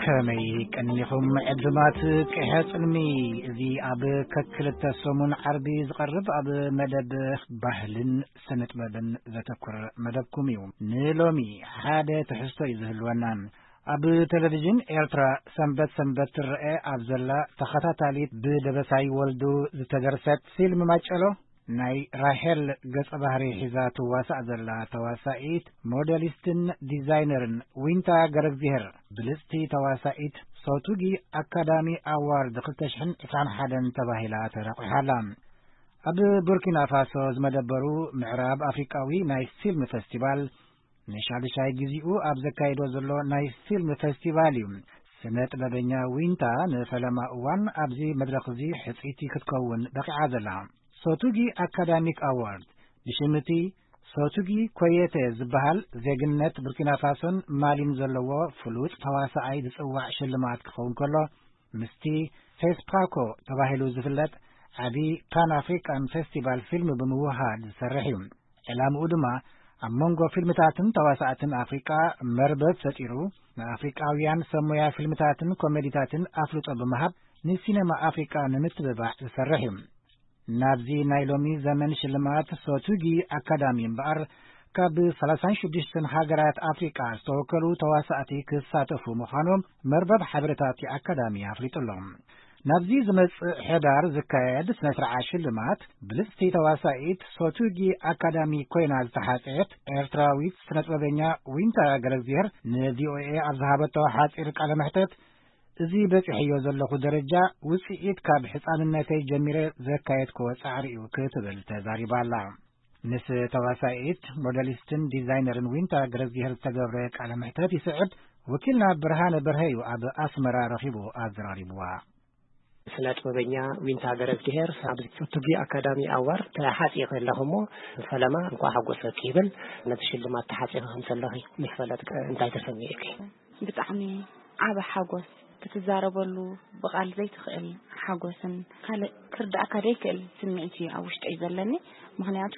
ከመይ ቀኒኹም ዕድማት ቅሐ ጽልሚ? እዚ ኣብ ከክልተ ሰሙን ዓርቢ ዝቐርብ ኣብ መደብ ባህልን ስነ ጥበብን ዘተኩር መደብኩም እዩ። ንሎሚ ሓደ ትሕዝቶ እዩ ዝህልወና። ኣብ ቴሌቪዥን ኤርትራ ሰንበት ሰንበት ትረአ ኣብ ዘላ ተኸታታሊት ብደበሳይ ወልዱ ዝተደርሰት ፊልም ማጨሎ፣ ናይ ራሄል ገጸ ባህሪ ሒዛ ትዋሳእ ዘላ ተዋሳኢት፣ ሞዴሊስትን ዲዛይነርን ዊንታ ገረግዚሄር፣ ብልጽቲ ተዋሳኢት፣ ሶቱጊ ኣካዳሚ ኣዋርድ ክልተ ሽሕን ዕስራን ሓደን ተባሂላ ተረቑሓ ኣላ። ኣብ ቡርኪና ፋሶ ዝመደበሩ ምዕራብ ኣፍሪቃዊ ናይ ፊልም ፈስቲቫል፣ ንሻዱሻይ ግዜኡ ኣብ ዘካይዶ ዘሎ ናይ ፊልም ፈስቲቫል እዩ። ስነ ጥበበኛ ዊንታ ንፈለማ እዋን ኣብዚ መድረኽ እዚ ሕጽይቲ ክትከውን በቒዓ ዘላ። ሶቱጊ ኣካዳሚክ ኣዋርድ፣ ብሽም እቲ ሶቱጊ ኮየተ ዝበሃል፣ ዜግነት ቡርኪና ፋሶን ማሊን ዘለዎ ፍሉጥ ተዋሳኣይ ዝጽዋዕ ሽልማት ክኸውን ከሎ፣ ምስቲ ፌስፓኮ ተባሂሉ ዝፍለጥ ዓቢ ፓን ኣፍሪካን ፌስቲቫል ፊልም ብምውሃድ ዝሰርሕ እዩ። ዕላምኡ ድማ ኣብ መንጎ ፊልምታትን ተዋሳእትን ኣፍሪቃ መርበብ ፈጢሩ፣ ንኣፍሪቃውያን ሰብ ሞያ ፊልምታትን ኮሜዲታትን ኣፍልጦ ብምሃብ፣ ንሲነማ ኣፍሪቃ ንምትብባዕ ዝሰርሕ እዩ። ናብዚ ናይ ሎሚ ዘመን ሽልማት ሶቱጊ ኣካዳሚ እምበኣር፣ ካብ ሰላሳን ሽዱሽተን ሃገራት ኣፍሪቃ ዝተወከሉ ተዋሳእቲ ክሳተፉ ምዃኖም መርበብ ሓበሬታ እቲ ኣካዳሚ ኣፍሊጡ ኣሎ። ናብዚ ዝመጽእ ሕዳር ዝካየድ ስነ ስርዓት ሽልማት፣ ብልጽቲ ተዋሳኢት ሶቱጊ ኣካዳሚ ኮይና ዝተሓጽየት ኤርትራዊት ስነ ጥበበኛ ዊንታ ገረግዚሄር ንቪኦኤ ኣብ ዝሃበቶ ሓጺር ቃለ መሕተት፣ እዚ በጺሐዮ ዘለኹ ደረጃ ውጽኢት ካብ ሕጻንነተይ ጀሚረ ዘካየድክዎ ጻዕሪ እዩ ክትብል ተዛሪባ ኣላ። ምስ ተዋሳኢት፣ ሞዴሊስትን ዲዛይነርን ዊንታ ገረግዚሄር ዝተገብረ ቃለ መሕተት ይስዕብ። ወኪልና ብርሃነ በርሀ እዩ ኣብ ኣስመራ ረኺቡ ኣዘራሪብዋ። ስነ ጥበበኛ ዊንታ ገረዝግሄር ኣብ ሶቱጊ ኣካዳሚ ኣዋርድ ተሓጺኺ ኣለኺ እሞ፣ ፈለማ እንኳዕ ሓጎሰኪ ይብል። ነቲ ሽልማት ተሓጺኺ ከም ዘለኺ ምስ ፈለጥኪ እንታይ ተሰሚዑኪ? ብጣዕሚ ዓቢ ሓጎስ፣ ክትዛረበሉ ብቓል ዘይትኽእል ሓጎስን ካልእ ክርድኣካ ዘይክእል ስምዒት እዩ ኣብ ውሽጠይ ዘለኒ። ምኽንያቱ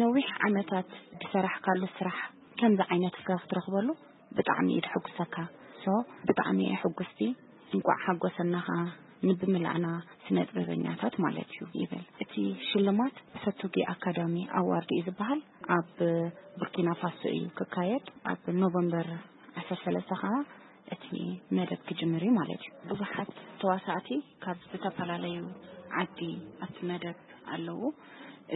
ነዊሕ ዓመታት ዝሰራሕካሉ ስራሕ ከምዚ ዓይነት ፍረ ክትረኽበሉ ብጣዕሚ እዩ ድሕጉሰካ። ሶ ብጣዕሚ እየ ሕጉስቲ። እንቋዕ ሓጎሰና ኸዓ ንብምላዕና ስነ ጥበበኛታት ማለት እዩ ይብል። እቲ ሽልማት ሰቱጊ ኣካዳሚ ኣዋርድ እዩ ዝበሃል። ኣብ ቡርኪና ፋሶ እዩ ክካየድ። ኣብ ኖቨምበር ዓሰርተ ሰለስተ ኸዓ እቲ መደብ ክጅምር እዩ ማለት እዩ። ብዙሓት ተዋሳእቲ ካብ ዝተፈላለዩ ዓዲ ኣብቲ መደብ ኣለዉ።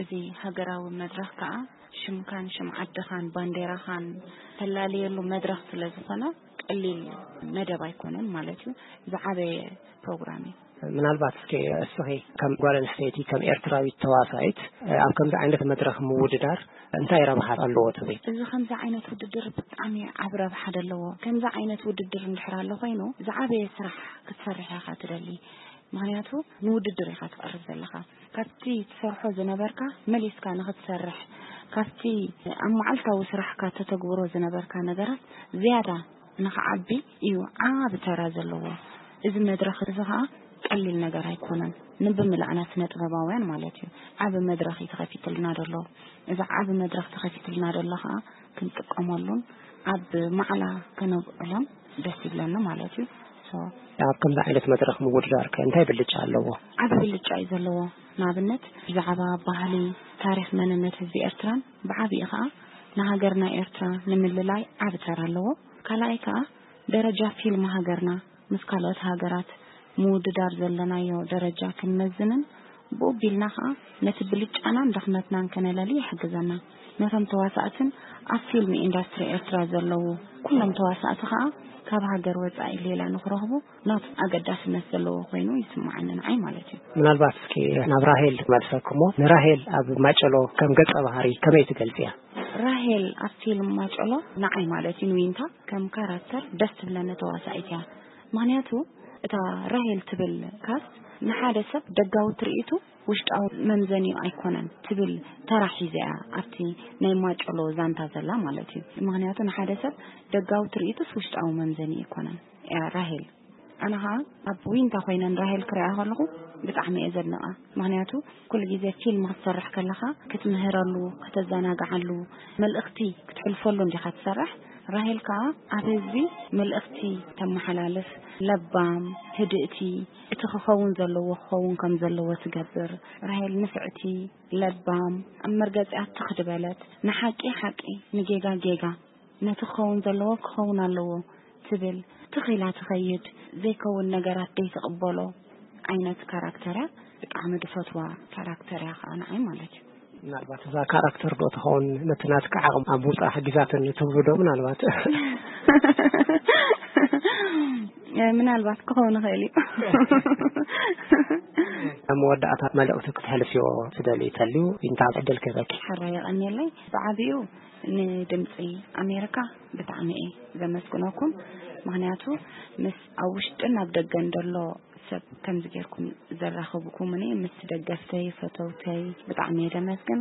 እዚ ሃገራዊ መድረኽ ከኣ ሽምካን ሽም ዓድኻን ባንዴራኻን ተላለየሉ መድረኽ ስለ ዝኾነ ቀሊል መደብ ኣይኮነን ማለት እዩ። ዝዓበየ ፕሮግራም እዩ። ምናልባት እስኪ እስኺ ከም ጓል ኣንስተይቲ፣ ከም ኤርትራዊት ተዋሳኢት፣ ኣብ ከምዚ ዓይነት መድረኽ ምውድዳር እንታይ ረብሓ ኣለዎ ትብሊ? እዚ ከምዚ ዓይነት ውድድር ብጣዕሚ ዓቢ ረብሓ ደለዎ። ከምዚ ዓይነት ውድድር እንድሕር ኣሎ ኮይኑ፣ ዝዓበየ ስራሕ ክትሰርሕ ኢኻ ትደሊ። ምኽንያቱ ንውድድር ኢኻ ትቐርብ ዘለኻ። ካብቲ ትሰርሖ ዝነበርካ መሊስካ ንኽትሰርሕ፣ ካብቲ ኣብ መዓልታዊ ስራሕካ ተተግብሮ ዝነበርካ ነገራት ዝያዳ ንኽዓቢ እዩ ዓቢ ተራ ዘለዎ። እዚ መድረኽ እዚ ኸኣ ቀሊል ነገር ኣይኮነን። ንብምላዕና ስነ ጥበባውያን ማለት እዩ። ዓቢ መድረኽ እዩ ተኸፊትልና ዘሎ። እዚ ዓቢ መድረኽ ተኸፊትልና ዘሎ ኸኣ ክንጥቀመሉን ኣብ ማዕላ ከነብዕሎን ደስ ይብለኒ ማለት እዩ። ሶ ኣብ ከምዚ ዓይነት መድረኽ ምውድዳር ከ እንታይ ብልጫ ኣለዎ? ዓቢ ብልጫ እዩ ዘለዎ። ንኣብነት ብዛዕባ ባህሊ፣ ታሪኽ፣ መንነት ህዝቢ ኤርትራን ብዓቢኡ ኸኣ ንሃገርና ኤርትራ ንምልላይ ዓቢ ተራ ኣለዎ። ካልኣይ ከኣ ደረጃ ፊልም ሃገርና ምስ ካልኦት ሃገራት ምውድዳር ዘለናዮ ደረጃ ክንመዝንን ብኡ ቢልና ኸኣ ነቲ ብልጫናን ድኽመትናን ከነለሊ ይሕግዘና። ነቶም ተዋሳእትን ኣብ ፊልም ኢንዳስትሪ ኤርትራ ዘለዉ ኩሎም ተዋሳእቲ ኸኣ ካብ ሃገር ወጻኢ ሌላ ንኽረኽቡ ናቱ ኣገዳስነት ዘለዎ ኮይኑ ይስምዓኒ ንዓይ ማለት እዩ። ምናልባት እስኪ ናብ ራሄል ክመልሰክሞ፣ ንራሄል ኣብ ማጨሎ ከም ገጸ ባህሪ ከመይ ትገልጽያ? ራሄል ኣብ ፊልም ማጨሎ ንዓይ ማለት እዩ ንዊንታ ከም ካራክተር ደስ ትብለኒ ተዋሳኢት እያ። ምኽንያቱ እታ ራሄል ትብል ካስት ንሓደ ሰብ ደጋዊ ትርኢቱ ውሽጣዊ መምዘኒኡ ኣይኮነን ትብል ተራ ሒዛ እያ ኣብቲ ናይ ማጨሎ ዛንታ ዘላ ማለት እዩ። ምኽንያቱ ንሓደ ሰብ ደጋዊ ትርኢቱስ ውሽጣዊ መምዘኒኡ ኣይኮነን እያ ራሄል። ኣነ ኸዓ ኣብ ዊንታ ኮይነ ንራሄል ክሪኣ ከለኹ ብጣዕሚ እየ ዘድንቓ። ምኽንያቱ ኩሉ ግዜ ፊልም ክትሰርሕ ከለኻ ክትምህረሉ፣ ከተዘናግዓሉ፣ መልእኽቲ ክትሕልፈሉ እንዲኻ ትሰርሕ። ራሄል ከኣ ኣብ ህዝቢ መልእኽቲ ተመሓላልፍ፣ ለባም፣ ህድእቲ፣ እቲ ክኸውን ዘለዎ ክኸውን ከም ዘለዎ ትገብር። ራሄል ንፍዕቲ፣ ለባም፣ ኣብ መርገጺኣ ትኽ ዝበለት፣ ንሓቂ ሓቂ፣ ንጌጋ ጌጋ፣ ነቲ ክኸውን ዘለዎ ክኸውን ኣለዎ ትብል፣ ትኽ ኢላ ትኸይድ፣ ዘይከውን ነገራት ዘይትቕበሎ ዓይነት ካራክተር እያ። ብጣዕሚ ድፈትዋ ካራክተር እያ ከኣ ንዓይ ማለት እዩ። ምናልባት እዛ ካራክተር ዶ ትኸውን ነቲ ናትካ ዓቕም ኣብ ምውጻእ ሓጊዛትኒ ትብሉ ዶ? ምናልባት ምናልባት ክኸውን ይኽእል እዩ። ኣብ መወዳእታ መልእኽቲ ክትሕልፍዮ ትደልዩ ተልዩ ዊንታ ዕድል ክህበኪ። ሕራይ የቐንየለይ። ብዓቢኡ ንድምፂ ኣሜሪካ ብጣዕሚ እየ ዘመስግነኩም። ምኽንያቱ ምስ ኣብ ውሽጥን ኣብ ደገን ዘሎ ሰብ ከምዚ ጌርኩም ዘራኸብኩምኒ፣ ምስ ደገፍተይ፣ ፈተውተይ ብጣዕሚ እየ ደመስግን።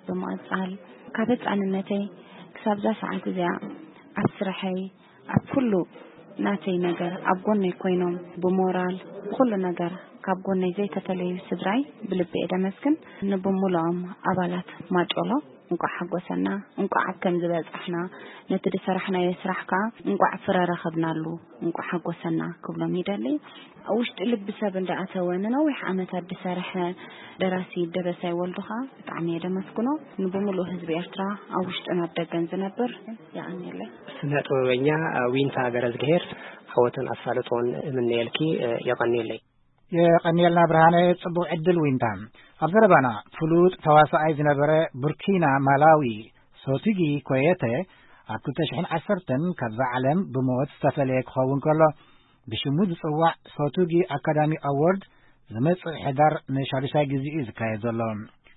ብምቕጻል ካብ ህጻንነተይ ክሳብ እዛ ሰዓት እዚኣ ኣብ ስርሐይ፣ ኣብ ኩሉ ናተይ ነገር ኣብ ጎነይ ኮይኖም ብሞራል ብኹሉ ነገር ካብ ጎነይ ዘይተፈለዩ ስድራይ ብልቢ እየ ደመስግን። ንብሙሉኦም ኣባላት ማጨሎ እንቋዕ ሓጎሰና፣ እንቋዕ ኣብ ከምዚ በጻሕና፣ ነቲ ዝሰራሕናዮ ስራሕ ከኣ እንቋዕ ፍረ ረኸብናሉ፣ እንቋዕ ሓጎሰና ክብሎም ይደሊ። ኣብ ውሽጢ ልቢ ሰብ እንዳኣተወ ንነዊሕ ዓመታት ዝሰርሐ ደራሲ ደበሳይ ወልዱ ከኣ ብጣዕሚ እየ ደመስግኖ። ንብምሉእ ህዝቢ ኤርትራ ኣብ ውሽጥን ኣብ ደገን ዝነብር የቐንየለይ። ስነ ጥበበኛ ዊንታ ገረዝግሄር ዓወትን ኣሳልጦን እምነየልኪ። የቐንየለይ። የቐንየልና ብርሃነ፣ ጽቡቕ ዕድል ዊንታ። ኣብ ዘረባና ፍሉጥ ተዋሳኣይ ዝነበረ ቡርኪና ማላዊ ሶቱጊ ኮየተ ኣብ ክልተ ሽሕን ዓሰርተን ካብዛ ዓለም ብሞት ዝተፈለየ ክኸውን ከሎ፣ ብሽሙ ዝጽዋዕ ሶቱጊ ኣካዳሚ ኣዎርድ ዝመጽእ ሕዳር ንሻዱሻይ ግዜ እዩ ዝካየድ ዘሎ።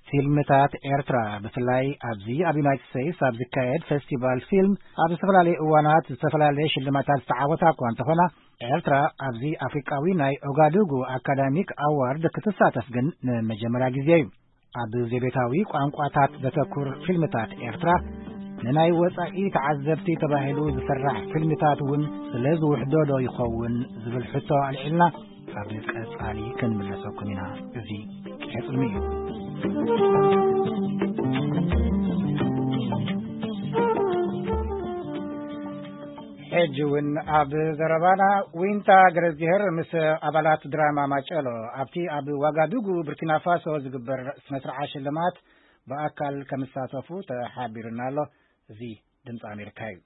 ፊልምታት ኤርትራ፣ ብፍላይ ኣብዚ ኣብ ዩናይትድ ስቴትስ ኣብ ዝካየድ ፌስቲቫል ፊልም፣ ኣብ ዝተፈላለዩ እዋናት ዝተፈላለየ ሽልማታት ዝተዓወታ እኳ እንተኾና፣ ኤርትራ ኣብዚ ኣፍሪቃዊ ናይ ኦጋዱጉ ኣካዳሚክ ኣዋርድ ክትሳተፍ ግን ንመጀመርያ ግዜ እዩ። ኣብ ዘቤታዊ ቋንቋታት ዘተኩር ፊልምታት ኤርትራ፣ ንናይ ወጻኢ ተዓዘብቲ ተባሂሉ ዝስራሕ ፊልምታት እውን ስለ ዝውሕዶ ዶ ይኸውን ዝብል ሕቶ ኣልዒልና፣ ኣብ ቀጻሊ ክንምለሰኩም ኢና። እዚ ቂሐ ጽልሚ እዩ። ሕጂ እውን ኣብ ዘረባና፣ ዊንታ ገረዝግሄር ምስ ኣባላት ድራማ ማጨሎ ኣብቲ ኣብ ዋጋዱጉ ቡርኪና ፋሶ ዝግበር ስነ ስርዓት ሽልማት ብኣካል ከምሳተፉ ተሓቢሩና ኣሎ። እዚ ድምፂ ኣሜሪካ እዩ።